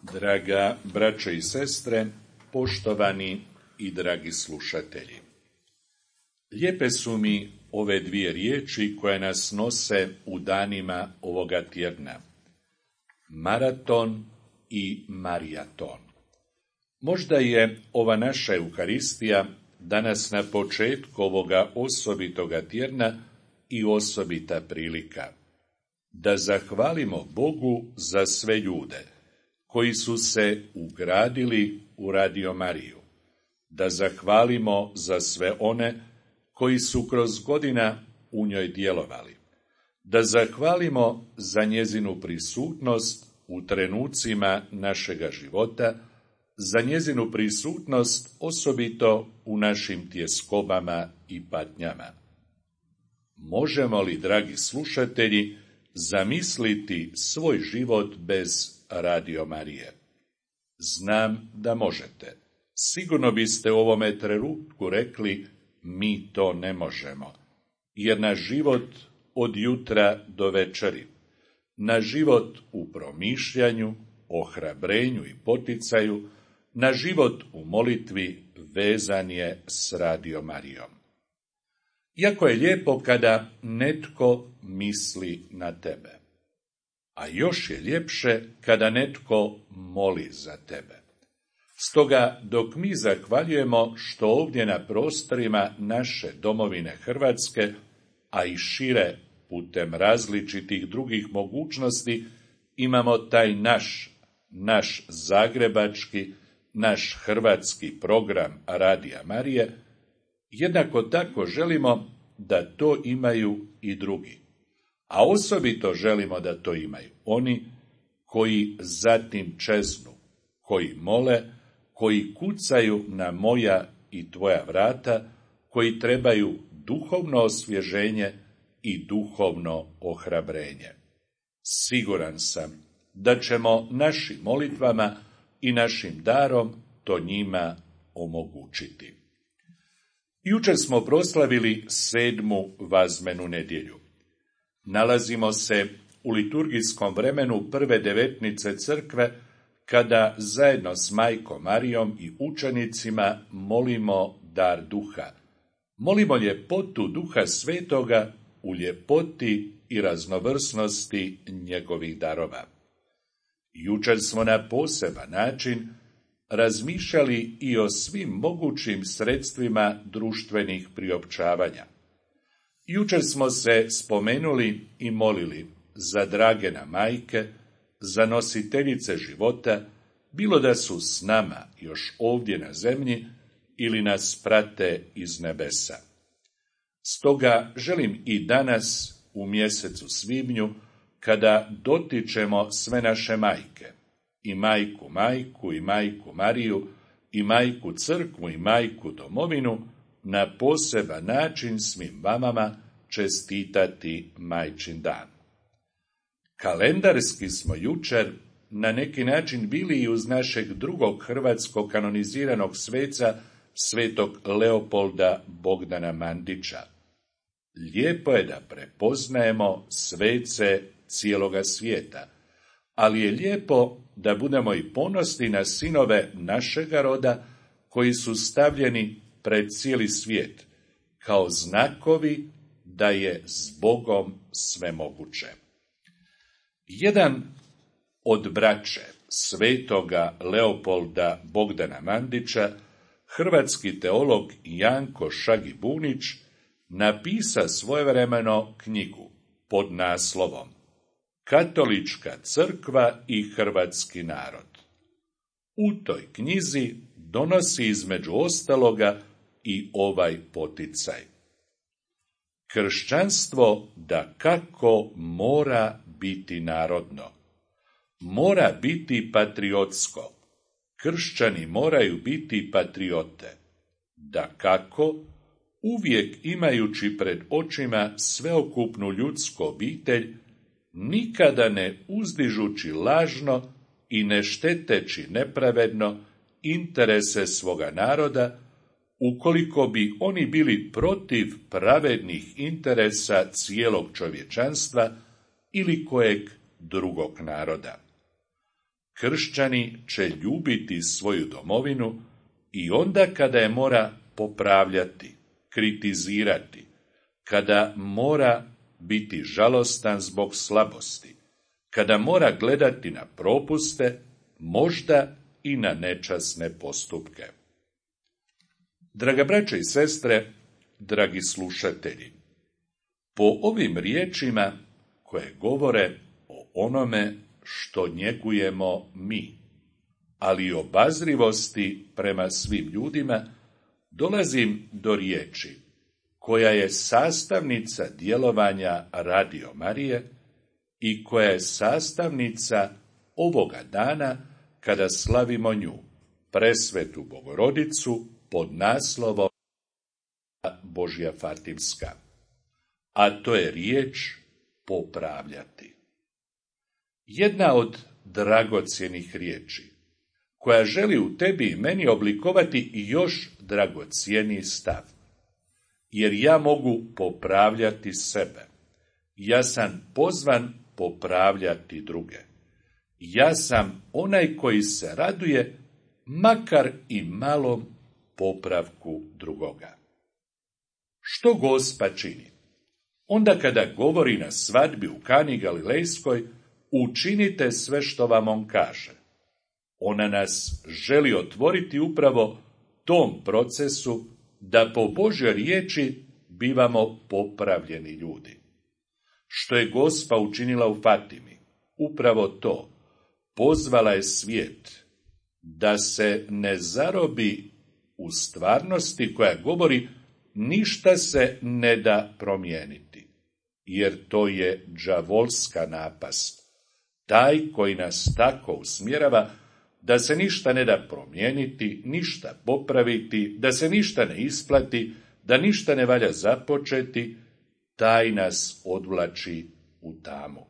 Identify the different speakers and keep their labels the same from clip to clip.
Speaker 1: Draga braćo i sestre, poštovani i dragi slušatelji. Lijepe su mi ove dvije riječi koje nas nose u danima ovoga tjedna. Maraton i marijaton. Možda je ova naša Euharistija danas na početku ovoga osobitoga tjedna i osobita prilika da zahvalimo Bogu za sve ljude koji su se ugradili u Radio Mariju, da zahvalimo za sve one koji su kroz godina u njoj djelovali, da zahvalimo za njezinu prisutnost u trenucima našega života, za njezinu prisutnost osobito u našim tjeskobama i patnjama. Možemo li, dragi slušatelji, zamisliti svoj život bez Radio Marije? Znam da možete. Sigurno biste u ovome trenutku rekli, mi to ne možemo, jer naš život od jutra do večeri, naš život u promišljanju, ohrabrenju i poticaju, naš život u molitvi vezan je s Radio Marijom. Jako je lijepo kada netko misli na tebe, a još je ljepše kada netko moli za tebe. Stoga, dok mi zahvaljujemo što ovdje na prostorima naše domovine Hrvatske, a i šire putem različitih drugih mogućnosti, imamo taj naš zagrebački, naš hrvatski program Radija Marije, jednako tako želimo da to imaju i drugi. A osobito želimo da to imaju oni koji zatim čeznu, koji mole, koji kucaju na moja i tvoja vrata, koji trebaju duhovno osvježenje i duhovno ohrabrenje. Siguran sam da ćemo našim molitvama i našim darom to njima omogućiti. Jučer smo proslavili 7. vazmenu nedjelju. Nalazimo se u liturgijskom vremenu prve devetnice crkve, kada zajedno s Majkom Marijom i učenicima molimo dar duha. Molimo ljepotu Duha Svetoga u ljepoti i raznovrsnosti njegovih darova. Jučer smo na poseban način razmišljali i o svim mogućim sredstvima društvenih priopćavanja. Jučer smo se spomenuli i molili za drage nam majke, za nositeljice života, bilo da su s nama još ovdje na zemlji ili nas prate iz nebesa. Stoga želim i danas u mjesecu svibnju, kada dotičemo sve naše majke, i majku i majku Mariju, i majku crkvu i majku domovinu, na poseban način svim mamama čestitati Majčin dan. Kalendarski smo jučer na neki način bili i uz našeg drugog hrvatskog kanoniziranog sveca, svetog Leopolda Bogdana Mandića. Lijepo je da prepoznajemo svece cijeloga svijeta, ali je lijepo da budemo i ponosni na sinove našega roda koji su stavljeni pred cijeli svijet, kao znakovi da je s Bogom sve moguće. Jedan od braće svetoga Leopolda Bogdana Mandića, hrvatski teolog Janko Šagibunić, napisa svojevremeno knjigu pod naslovom Katolička crkva i hrvatski narod. U toj knjizi donosi između ostaloga i ovaj poticaj. Kršćanstvo dakako mora biti narodno, mora biti patriotsko. Kršćani moraju biti patriote, dakako, uvijek imajući pred očima sveokupnu ljudsku obitelj, nikada ne uzdižući lažno i ne šteteći nepravedno interese svoga naroda, ukoliko bi oni bili protiv pravednih interesa cijelog čovječanstva ili kojeg drugog naroda. kršćani će ljubiti svoju domovinu i onda kada je mora popravljati, kritizirati, kada mora biti žalostan zbog slabosti, kada mora gledati na propuste, možda i na nečasne postupke. Draga braćo i sestre, dragi slušatelji, po ovim riječima koje govore o onome što njegujemo mi, ali i obazrivosti prema svim ljudima, dolazim do riječi koja je sastavnica djelovanja Radio Marije i koja je sastavnica ovoga dana kada slavimo nju, Presvetu Bogorodicu, pod naslovom Božja Fatimska. A to je riječ popravljati. Jedna od dragocjenih riječi, koja želi u tebi i meni oblikovati i još dragocjeniji stav. Jer ja mogu popravljati sebe. Ja sam pozvan popravljati druge. Ja sam onaj koji se raduje, makar i malom popravku drugoga. Što Gospa čini? Onda kada govori na svadbi u Kani Galilejskoj, učinite sve što vam on kaže. Ona nas želi otvoriti upravo tom procesu da po Božjoj riječi bivamo popravljeni ljudi. Što je Gospa učinila u Fatimi? Upravo to. Pozvala je svijet da se ne zarobi u stvarnosti koja govori ništa se ne da promijeniti, jer to je đavolska napast. Taj koji nas tako usmjerava da se ništa ne da promijeniti, ništa popraviti, da se ništa ne isplati, da ništa ne valja započeti, taj nas odvlači u tamu.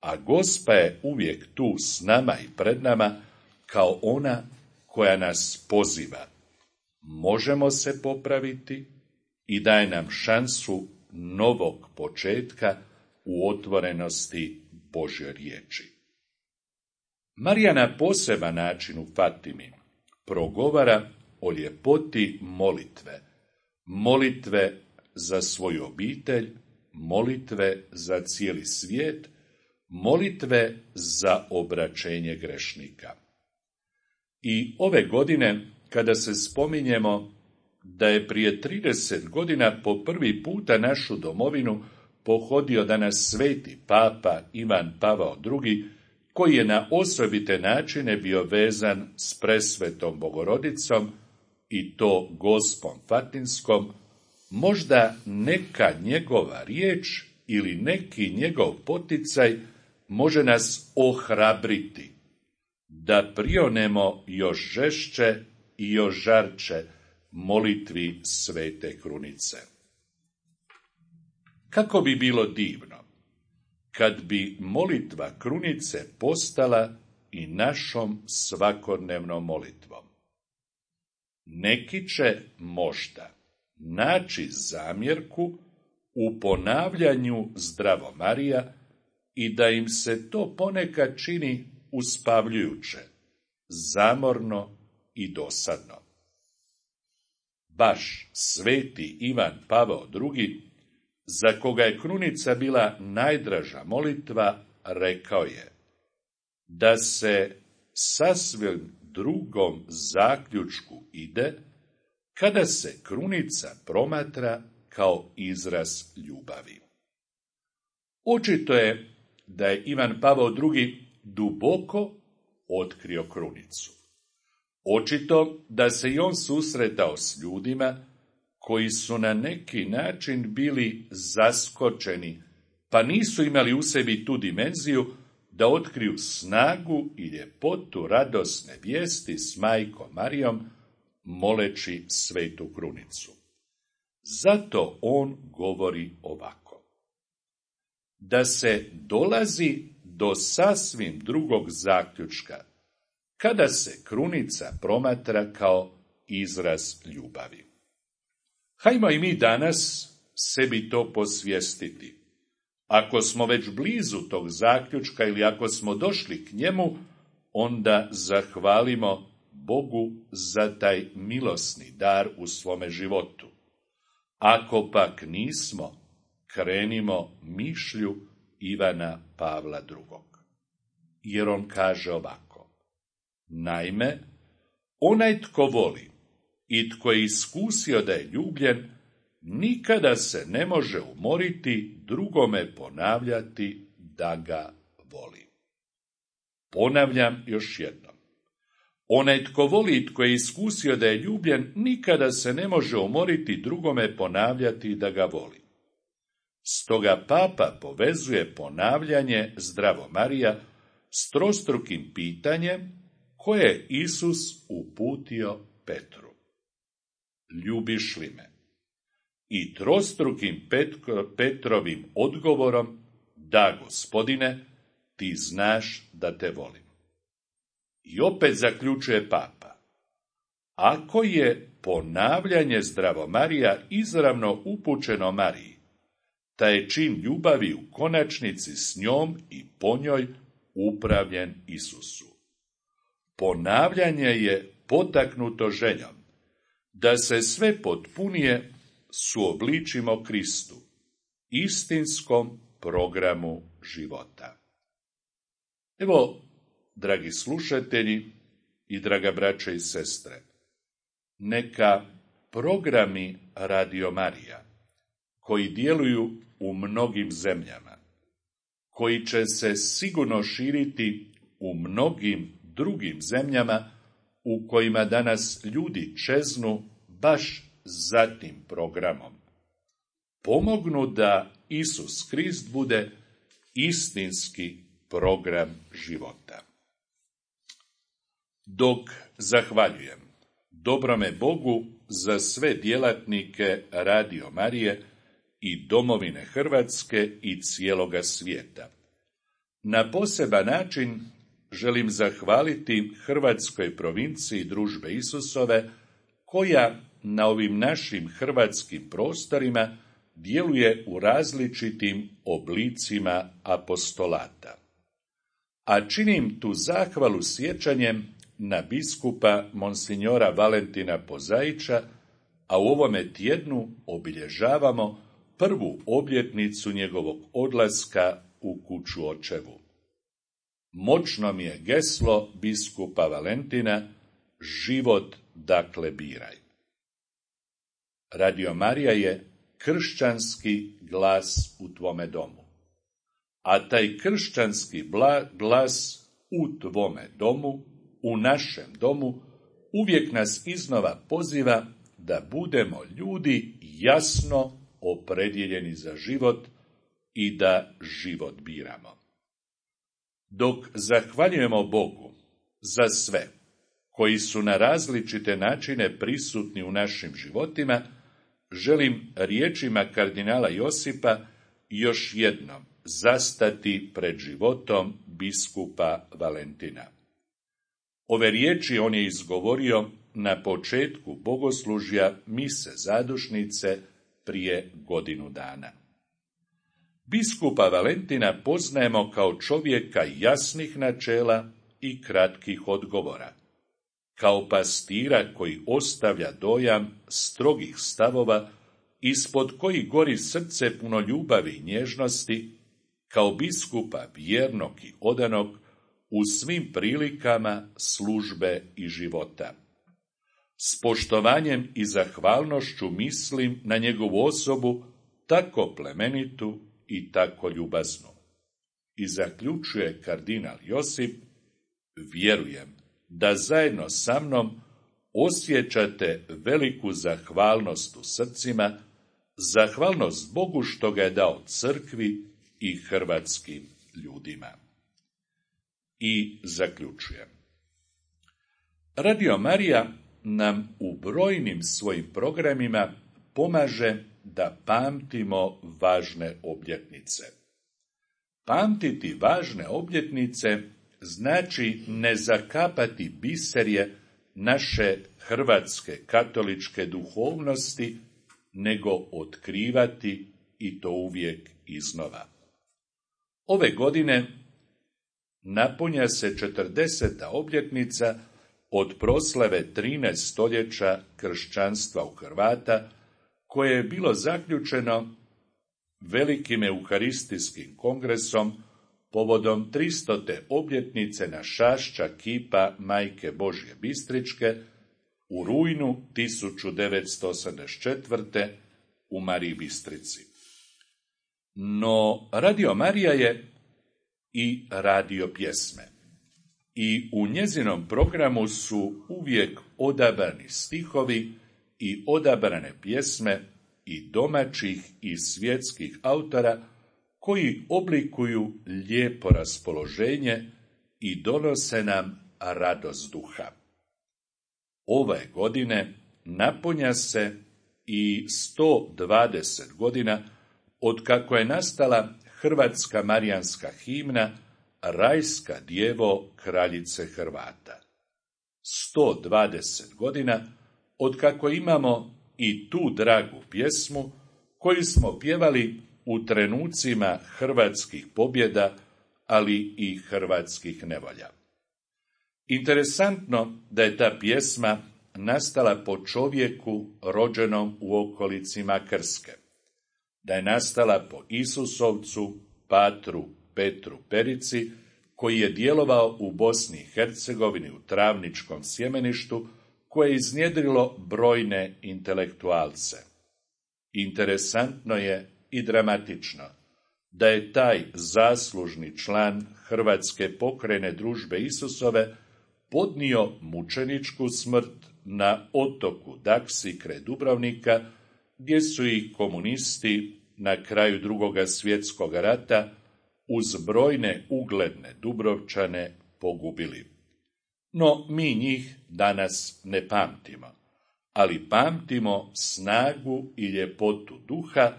Speaker 1: A Gospa je uvijek tu s nama i pred nama kao ona koja nas poziva. Možemo se popraviti i daje nam šansu novog početka u otvorenosti Božje riječi. Marija na poseban način u Fatimi progovara o ljepoti molitve. Molitve za svoju obitelj, molitve za cijeli svijet, molitve za obraćenje grešnika. I ove godine, kada se spominjemo da je prije 30 godina po prvi puta našu domovinu pohodio danas sveti papa Ivan Pavao II, koji je na osobite načine bio vezan s Presvetom Bogorodicom i to Gospom Fatinskom, možda neka njegova riječ ili neki njegov poticaj može nas ohrabriti da prionemo još žešće i još žarče molitvi Svete Krunice. Kako bi bilo divno kad bi molitva Krunice postala i našom svakodnevnom molitvom. Neki će možda naći zamjerku u ponavljanju Zdravo Marija i da im se to ponekad čini uspavljujuće, zamorno i dosadno. Baš sveti Ivan Pavao II, za koga je Krunica bila najdraža molitva, rekao je da se sasvim drugom zaključku ide kada se Krunica promatra kao izraz ljubavi. Očito je da je Ivan Pavao II duboko otkrio Krunicu. Očito da se i on susretao s ljudima koji su na neki način bili zaskočeni, pa nisu imali u sebi tu dimenziju da otkriju snagu i ljepotu radosne vijesti s majkom Marijom, moleći Svetu Krunicu. Zato on govori ovako: da se dolazi do sasvim drugog zaključka kada se Krunica promatra kao izraz ljubavi. Hajmo i mi danas sebi to posvijestiti. Ako smo već blizu tog zaključka ili ako smo došli k njemu, onda zahvalimo Bogu za taj milosni dar u svome životu. Ako pak nismo, krenimo mišlju Ivana Pavla II. Jer on kaže ovako: naime, onaj tko voli i tko je iskusio da je ljubljen, nikada se ne može umoriti drugome ponavljati da ga voli. Ponavljam još jednom. Onaj tko voli i tko je iskusio da je ljubljen, nikada se ne može umoriti drugome ponavljati da ga voli. Stoga papa povezuje ponavljanje Zdravo Marija s trostrukim pitanjem koje je Isus uputio Petru: ljubiš li me? I trostrukim Petrovim odgovorom: da, Gospodine, ti znaš da te volim. I opet zaključuje papa: ako je ponavljanje Zdravo Marija izravno upućeno Mariji, taj je čin ljubavi u konačnici s njom i po njoj upravljen Isusu. Ponavljanje je potaknuto željom da se sve potpunije suobličimo Kristu, istinskom programu života. Evo, dragi slušatelji i draga braće i sestre, neka programi Radio Marija, koji djeluju u mnogim zemljama, koji će se sigurno širiti u mnogim drugim zemljama u kojima danas ljudi čeznu baš za tim programom, pomognu da Isus Krist bude istinski program života. Dok zahvaljujem dobrome Bogu za sve djelatnike Radio Marije i domovine Hrvatske i cijeloga svijeta, na poseban način želim zahvaliti Hrvatskoj provinciji Družbe Isusove, koja na ovim našim hrvatskim prostorima djeluje u različitim oblicima apostolata. A činim tu zahvalu sjećanjem na biskupa Monsignora Valentina Pozaića, a u ovome tjednu obilježavamo prvu obljetnicu njegovog odlaska u kuću očevu. Moćno mi je geslo biskupa Valentina: život dakle biraj. Radio Marija je kršćanski glas u tvome domu, a taj kršćanski glas u tvome domu, u našem domu, uvijek nas iznova poziva da budemo ljudi jasno opredjeljeni za život i da život biramo. Dok zahvaljujemo Bogu za sve koji su na različite načine prisutni u našim životima, želim riječima kardinala Josipa još jednom zastati pred životom biskupa Valentina. Ove riječi on je izgovorio na početku bogoslužja mise zadušnice prije godinu dana. Biskupa Valentina poznajemo kao čovjeka jasnih načela i kratkih odgovora, kao pastira koji ostavlja dojam strogih stavova, ispod kojih gori srce puno ljubavi i nježnosti, kao biskupa vjernog i odanog u svim prilikama službe i života. S poštovanjem i zahvalnošću mislim na njegovu osobu, tako plemenitu i tako ljubaznu. I zaključuje kardinal Josip: vjerujem da zajedno sa mnom osjećate veliku zahvalnost u srcima, zahvalnost Bogu što ga je dao crkvi i hrvatskim ljudima. I zaključujem. Radio Marija nam u brojnim svojim programima pomaže da pamtimo važne obljetnice. Pamtiti važne obljetnice znači ne zakapati biserje naše hrvatske katoličke duhovnosti, nego otkrivati, i to uvijek iznova. Ove godine napunja se 40. obljetnica od proslave 13 stoljeća kršćanstva u Hrvata, koje je bilo zaključeno velikim euharistijskim kongresom povodom 300. obljetnice našašća kipa Majke Božje Bistričke u rujnu 1984. u Mariji Bistrici. No, Radio Marija je i radio pjesme. I u njezinom programu su uvijek odabrani stihovi i odabrane pjesme i domaćih i svjetskih autora koji oblikuju lijepo raspoloženje i donose nam radost duha. Ove godine napunja se i 120 godina otkako je nastala hrvatska marijanska himna Rajska djevo kraljice Hrvata. 120 godina otkako imamo i tu dragu pjesmu koju smo pjevali u trenucima hrvatskih pobjeda, ali i hrvatskih nevolja. Interesantno da je ta pjesma nastala po čovjeku rođenom u okolici Makarske, da je nastala po Isusovcu, patru Petru Perici, koji je djelovao u Bosni i Hercegovini u Travničkom sjemeništu, koje je iznjedrilo brojne intelektualce. Interesantno je i dramatično da je taj zaslužni član Hrvatske pokrajne družbe Isusove podnio mučeničku smrt na otoku Daksi kraj Dubrovnika, gdje su ih komunisti na kraju Drugoga svjetskog rata uz brojne ugledne Dubrovčane pogubili. No, mi njih danas ne pamtimo, ali pamtimo snagu i ljepotu duha,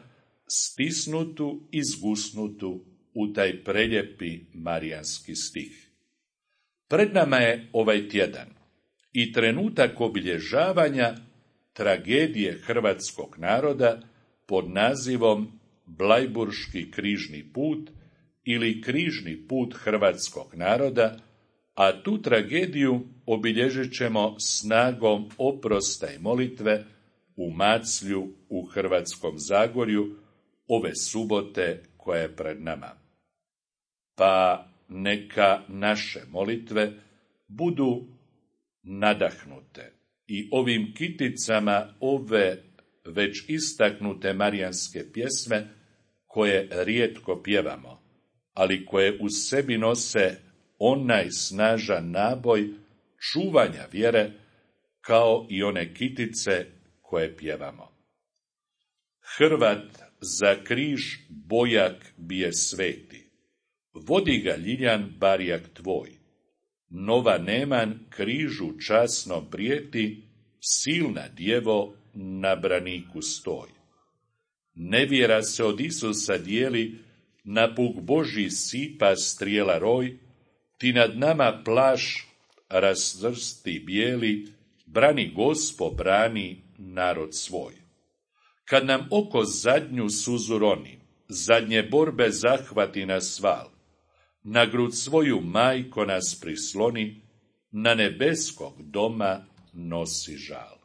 Speaker 1: stisnutu i zgusnutu u taj preljepi marijanski stih. Pred nama je ovaj tjedan i trenutak obilježavanja tragedije hrvatskog naroda pod nazivom Blajburški križni put ili križni put hrvatskog naroda, a tu tragediju obilježit ćemo snagom oprosta i molitve u Maclju u Hrvatskom Zagorju ove subote koja je pred nama. Pa neka naše molitve budu nadahnute i ovim kiticama ove već istaknute marijanske pjesme koje rijetko pjevamo, ali koje u sebi nose onaj snažan naboj čuvanja vjere, kao i one kitice koje pjevamo. Hrvat za križ bojak bije sveti, vodi ga ljiljan barjak tvoj, nova neman križu časno prijeti, silna djevo na braniku stoj. Nevjera se od Isusa dijeli, na puk Božji sipa strijela roj, ti nad nama plaš razvrsti bijeli, brani Gospo, brani narod svoj. Kad nam oko zadnju suzu roni, zadnje borbe zahvati nas val, na grud svoju majko nas prisloni, na nebeskog doma nosi žal.